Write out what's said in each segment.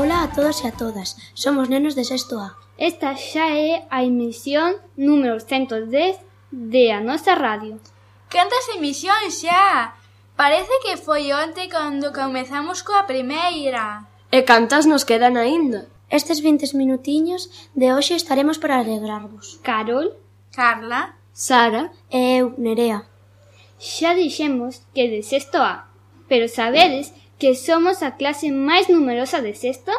Ola a todos e a todas, somos nenos de sexto A. Esta xa é a emisión número 110 de a nosa radio. Cantas emisións xa? Parece que foi onte cando comezamos coa primeira. E cantas nos quedan aínda? Estes 20 minutiños de hoxe estaremos para alegrarvos. Carol, Carla, Sara e eu, Nerea. xa dixemos que de sexto A, pero sabedes que somos a clase máis numerosa de sexto?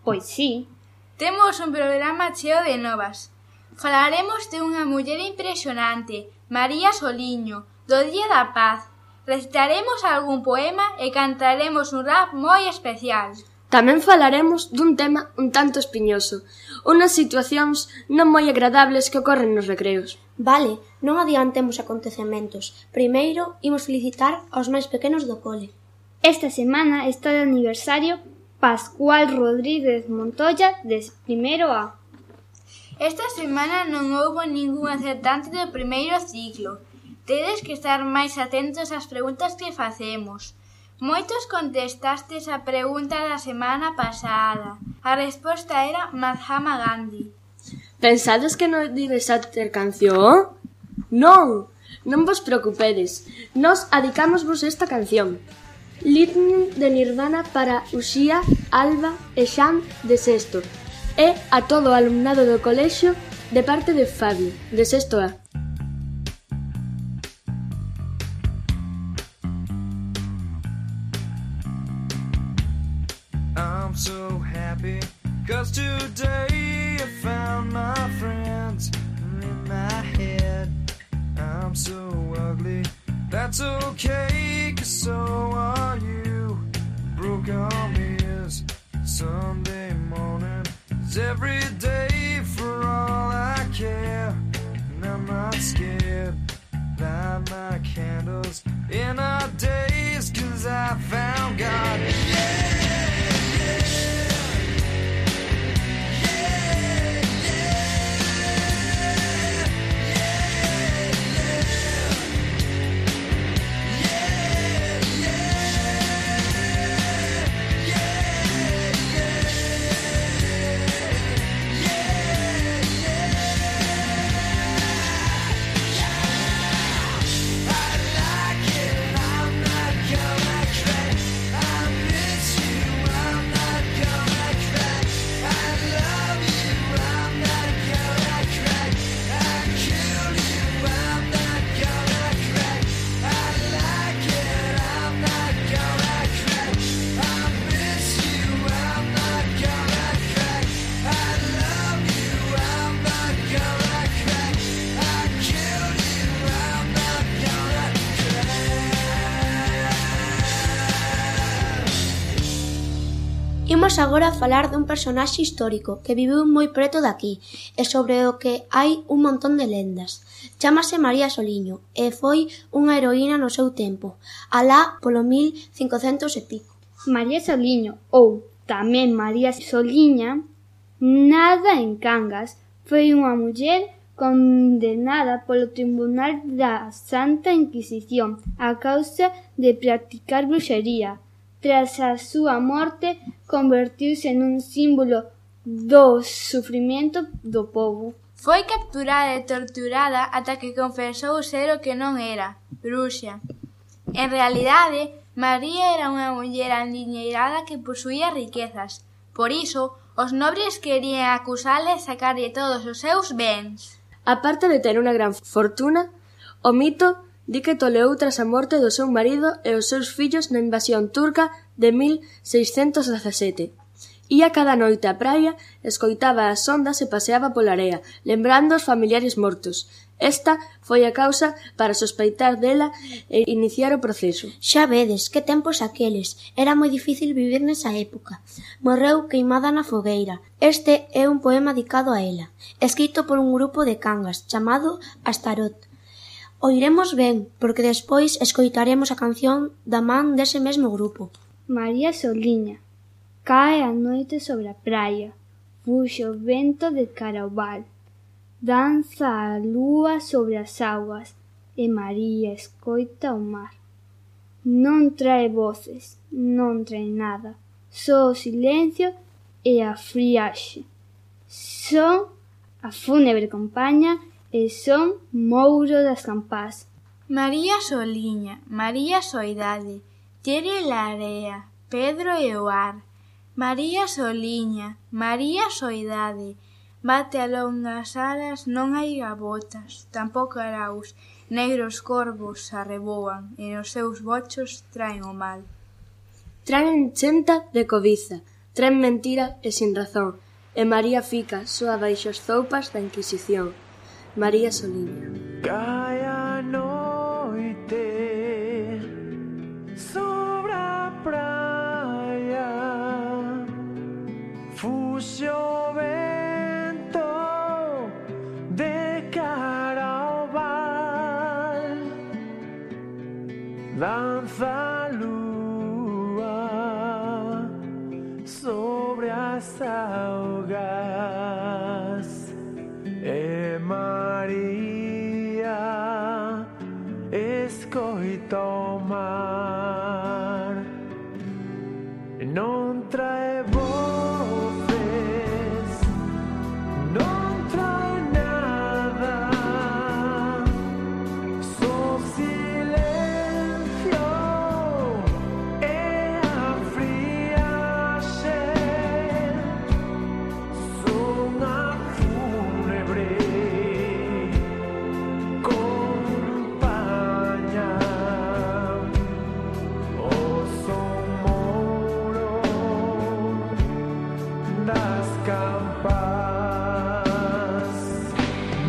Pois sí. temos un programa cheo de novas. Falaremos de unha muller impresionante, María Soliño, do Día da Paz. Recitaremos algún poema e cantaremos un rap moi especial. Tamén falaremos dun tema un tanto espiñoso, unas situacións non moi agradables que ocorren nos recreos. Vale, non adiantemos acontecementos. Primeiro, imos felicitar aos máis pequenos do cole. Esta semana está de aniversario Pascual Rodríguez Montoya de primeiro A. Esta semana non houbo ningún acertante do primeiro ciclo. Tedes que estar máis atentos ás preguntas que facemos. Moitos contestastes a pregunta da semana pasada. A resposta era Mahatma Gandhi. Pensades que non ides a ter canción? Non, non vos preocupedes. Nos adicámosvos esta canción. Lightning de Nirvana para Uxía, Alba e Xan de sexto. E a todo o alumnado do colexio de parte de Fabio, de sexto A. I'm so happy, 'cause today I found my friends in my head. I'm so ugly, that's okay, 'cause so are you. Broke arm is Sunday morning, is every day for all I care. And I'm not scared, light my candles in our days, 'cause I found God. Imos agora a falar dun personaxe histórico que viviu moi preto de aquí e sobre o que hai un montón de lendas. Chámase María Soliño e foi unha heroína no seu tempo, alá polo 1500 e pico. María Soliño, ou tamén María Soliña, nada en Cangas, foi unha muller condenada polo Tribunal da Santa Inquisición a causa de practicar bruxería. Tras a súa morte, convertiuse nun símbolo do sufrimento do povo. Foi capturada e torturada ata que confesou ser o que non era, bruxa. En realidade, María era unha muller andiñeirada que posuía riquezas. Por iso, os nobres querían acusala e sacarlle todos os seus bens. A parte de ter unha gran fortuna, o mito di que toleou tras a morte do seu marido e os seus fillos na invasión turca de 1617. Ía cada noite á praia, escoitaba as ondas e paseaba pola area, lembrando os familiares mortos. Esta foi a causa para sospeitar dela e iniciar o proceso. Xa vedes, que tempos aqueles. Era moi difícil vivir nesa época. Morreu queimada na fogueira. Este é un poema dedicado a ela, escrito por un grupo de Cangas, chamado Astarot. Oiremos ben, porque despois escoitaremos a canción da man dese mesmo grupo. María Soliña. Cae a noite sobre a praia, fuxe o vento de cara ao val, danza a lúa sobre as augas, e María escoita o mar. Non trae voces, non trae nada, só o silencio e a friaxe. Son a fúnebre compaña e son Mouro das Campás. María Soliña, María Soidade, Tere Larea, Pedro e o ar. María Soliña, María Soidade, bate a longas alas, non hai gabotas, tampouco araus, negros corvos arreboan e nos seus bochos traen o mal. Traen chenta de cobiza, traen mentira e sin razón, e María fica soa baixo as zoupas da Inquisición. María Soliña. Cae a noite sobre a praia, fuxe o vento de cara ao val, danza a lúa sobre as augas, e María escoita o mar, non trae voces, non trae nada, só silencio e a friaxe, son a fúnebre compaña, o son Mouro das Campás.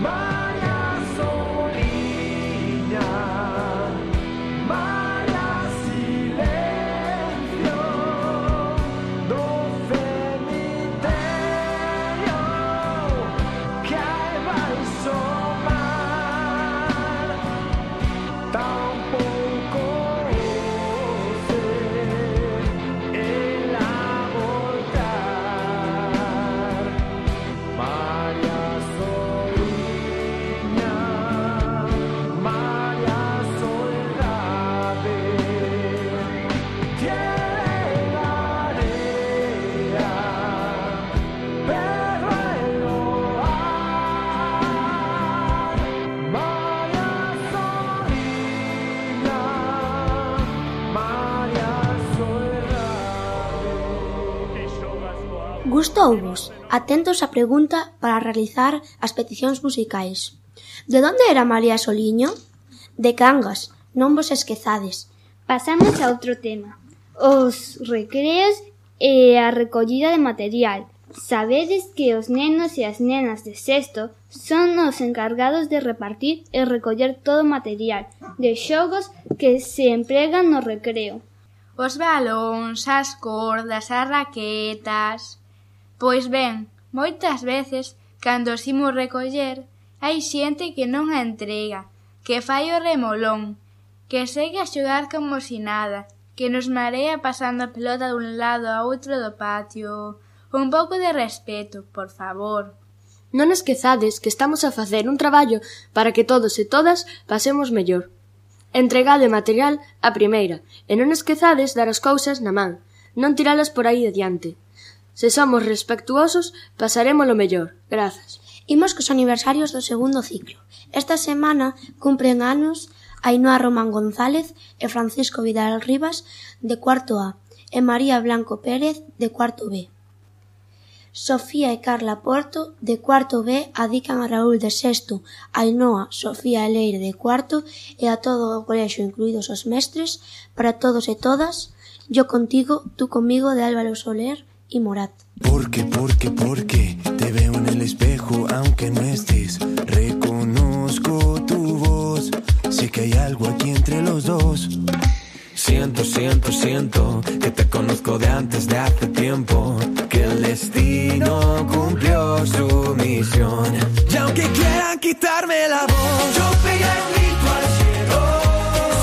María Soliña, María Silencio do cemiterio que hai baixo o mar, tampouco ose ela voltar. María Soliña, María Soidade, Tere Larea, Pedro e o ar. María Soliña, María Soidade. Gustouvos? Atentos á pregunta para realizar as peticións musicais. De onde era María Soliño? De Cangas, non vos esquezades. Pasamos a outro tema, os recreos e a recollida de material. Sabedes que os nenos e as nenas de sexto son os encargados de repartir e recoller todo o material de xogos que se empregan no recreo. Os balóns, as cordas, as raquetas. Pois ben, moitas veces, cando os imos recoller, hai xente que non a entrega, que fai o remolón, que segue a xogar como si nada, que nos marea pasando a pelota dun lado a outro do patio. Un pouco de respeto, por favor. Non esquezades que estamos a facer un traballo para que todos e todas pasemos mellor. Entregade material a primeira e non esquezades dar as cousas na man, non tiralas por aí adiante. Se somos respectuosos, pasarémolo mellor. Grazas. Imos cos aniversarios do segundo ciclo. Esta semana cumpren anos Ainhoa Román González e Francisco Vidal Rivas de cuarto A e María Blanco Pérez de cuarto B. Sofía e Carla Porto de cuarto B adican a Raúl de sexto, Ainhoa, Sofía e Leire de cuarto e a todo o colexio, incluídos os mestres, para todos e todas, Yo contigo, tú conmigo de Álvaro Soler y Morat. Porque te veo en el espejo aunque no estés, reconozco tu voz, sé que hay algo aquí entre los dos. Siento que te conozco de antes de hace tiempo, que el destino cumplió su misión. Y aunque quieran quitarme la voz, yo pegaré un grito al cielo.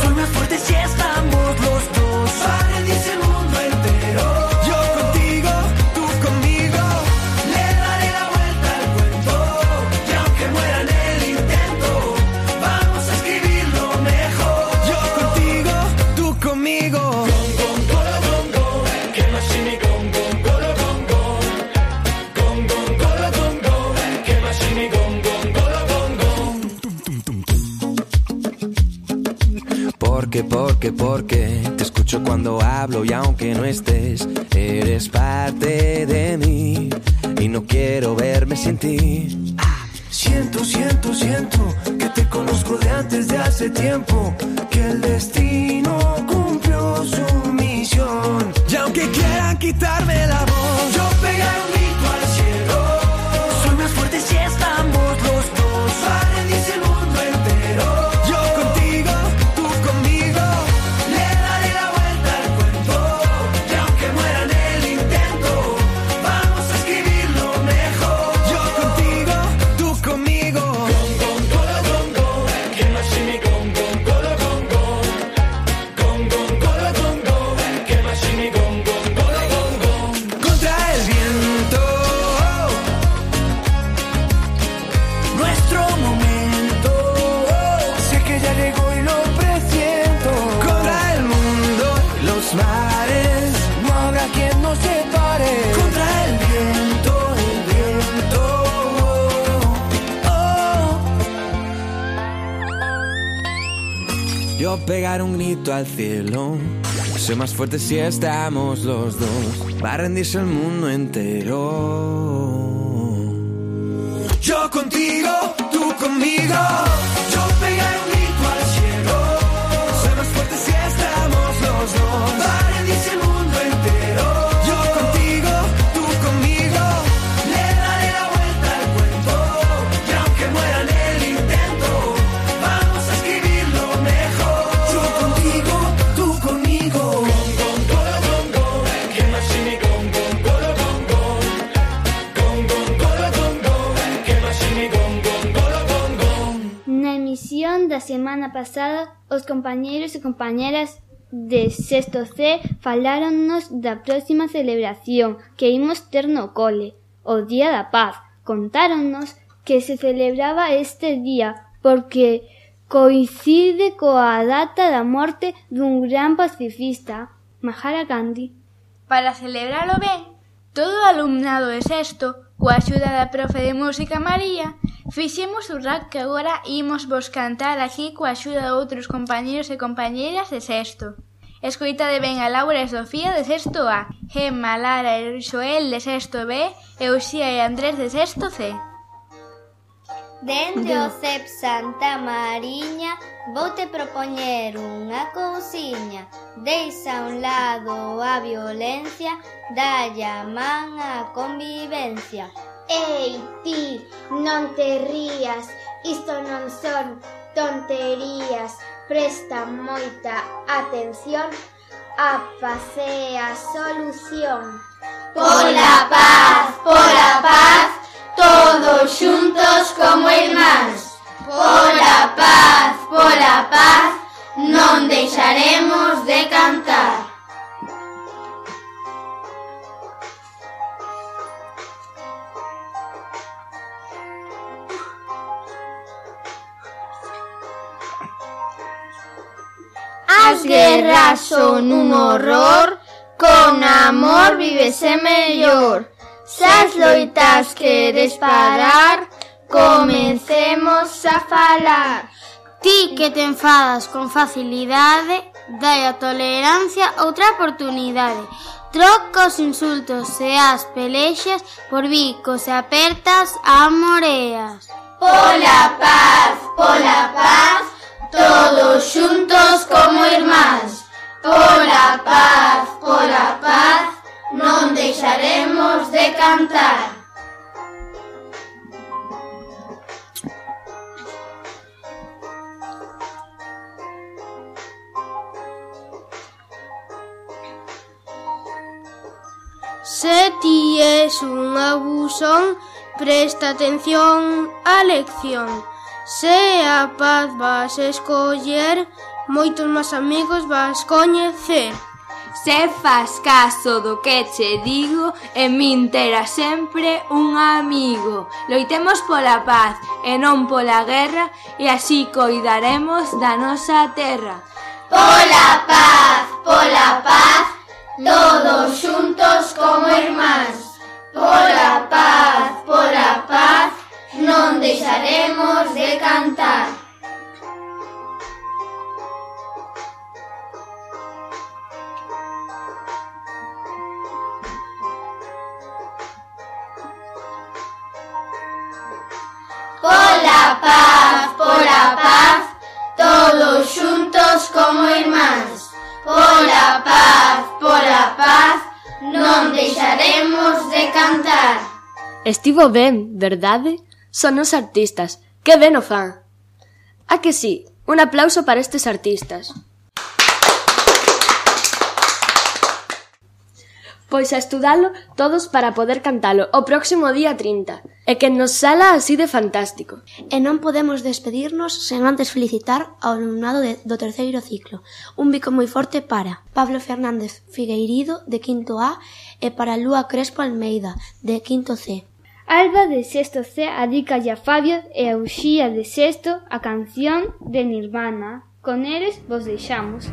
Soy más fuerte si estamos los dos, para rendirse el mundo entero. Yo contigo, tú conmigo, le daré la vuelta al cuento. Y aunque muera en el intento, vamos a escribirlo mejor. Yo contigo, tú conmigo. Que no sé ni con. Porque te escucho cuando hablo y aunque no estés, eres parte de mí y no quiero verme sin ti. Siento que te conozco de antes de hace tiempo, que el destino cumplió su misión. Y aunque quieran quitarme la voz, yo pegaré un grito al cielo. Soy más fuerte si estamos los dos. Va a rendirse el mundo entero. Yo contigo, tú conmigo, le daré la vuelta al cuento. Y aunque muera en el intento, vamos a escribirlo mejor. Yo contigo, tú conmigo. Contra el viento, nuestro momento. Sé que ya llegó y lo presiento. Contra el mundo, los mares, no habrá quien nos separe. Contra el viento, Yo pegaré un grito al cielo. Soy más fuerte si estamos los dos. Va a rendirse el mundo entero. Yo contigo, tú conmigo. Yo pegaré un grito al cielo. Soy más fuerte si estamos los dos. Va a rendirse el mundo entero. Yo contigo, tú conmigo. Le daré la vuelta al cuento. Y aunque muera en el intento, vamos a escribirlo mejor. Yo contigo, tú conmigo. Na emisión da semana pasada, os compañeiros e compañeras de sexto C faláronnos da próxima celebración que imos ter no cole, o Día da Paz. Contáronnos que se celebraba este día porque coincide coa data da morte dun gran pacifista, Mahatma Gandhi. Para celebralo ben, todo o alumnado de sexto, coa axuda da profe de música María, fixemos un rap que agora imos vos cantar aquí coa axuda de outros compañeros e compañeiras de sexto. Escoitade ben a Laura e Sofía de sexto A, Gemma, Lara e Xoel de sexto B e Uxía e Andrés de sexto C. Dende o CEP Santa Mariña voute propoñer unha cousiña. Deixa a un lado a violencia, dalle a man a convivencia. Ei, ti, non te rías, isto non son tonterías. Presta moita atención, a paz é a solución. Pola paz, todos xuntos como irmáns. Pola paz, non deixaremos de cantar. As guerras son un horror, con amor vívese mellor. Se as loitas queres parar, comencemos a falar. Ti que te enfadas con facilidade, dai a tolerancia outra oportunidade. Troca os insultos e as pelexas por bicos e apertas a moreas. Pola paz, todos xuntos como irmáns. Pola paz, non deixaremos de cantar. Se ti es un abusón, presta atención á lección. Se a paz vas escoller, moitos máis amigos vas coñecer. Se fas caso do que che digo, en min terás sempre un amigo. Loitemos pola paz e non pola guerra, e así coidaremos da nosa terra. Pola paz, todos xuntos como irmáns. Pola paz, non deixaremos de cantar. paz, todos xuntos como irmáns. Pola paz, non deixaremos de cantar. Estivo ben, verdade? Son os artistas. Que ben o fan. A que sí? Un aplauso para estes artistas. Pois a estudalo todos para poder cantalo o próximo día 30. E que nos sala así de fantástico. E non podemos despedirnos sen antes felicitar ao alumnado do terceiro ciclo. Un bico moi forte para Pablo Fernández Figueirido, de quinto A, e para Lúa Crespo Almeida, de quinto C. Alba, de sexto C, adícalle a Fabio e a Uxía, de sexto, a canción de Nirvana. Con eles vos deixamos.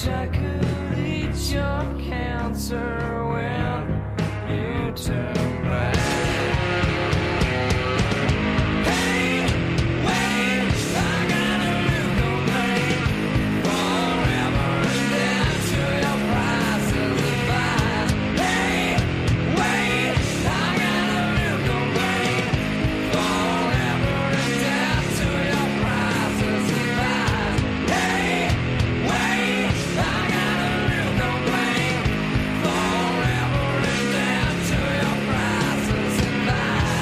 I could eat your cancer when you turn back. Hey, wait, I got a new complaint. Forever and dead to your prices of lies. Hey, wait, I got a new complaint. Forever and dead to your prices of lies. Hey, wait, I got a new complaint. Forever and dead to your prices of lies.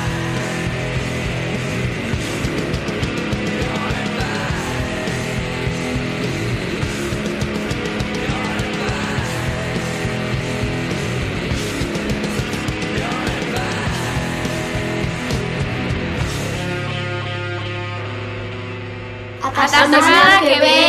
Hasta semana que ven.